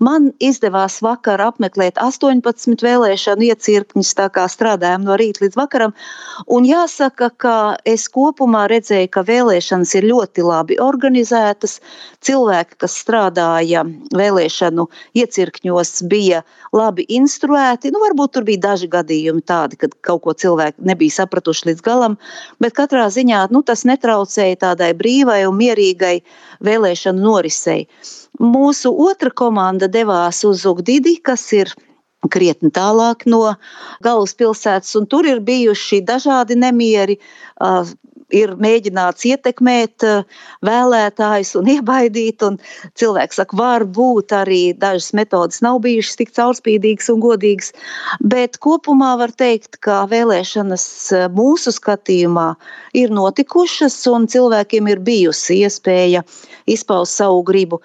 Man izdevās vakar apmeklēt 18 vēlēšanu iecirkņus, tā kā strādājam no rīta līdz vakaram. Un jāsaka, ka es kopumā redzēju, ka vēlēšanas ir ļoti labi organizētas. Cilvēki, kas strādāja vēlēšanu iecirkņos, bija labi instruēti. Varbūt tur bija daži gadījumi tādi, kad kaut ko cilvēki nebija sapratuši līdz galam, bet katrā ziņā tas netraucēja tādai brīvai un mierīgai vēlēšanu norisei. Mūsu otra komanda devās uz Ugdidi, kas ir krietni tālāk no galvaspilsētas, un tur ir bijuši dažādi nemieri. Ir mēģināts ietekmēt vēlētājus un iebaidīt, un cilvēks saka, varbūt arī dažas metodas nav bijušas tik caurspīdīgas un godīgas, bet kopumā var teikt, ka vēlēšanas mūsu skatījumā ir notikušas, un cilvēkiem ir bijusi iespēja izpaust savu gribu.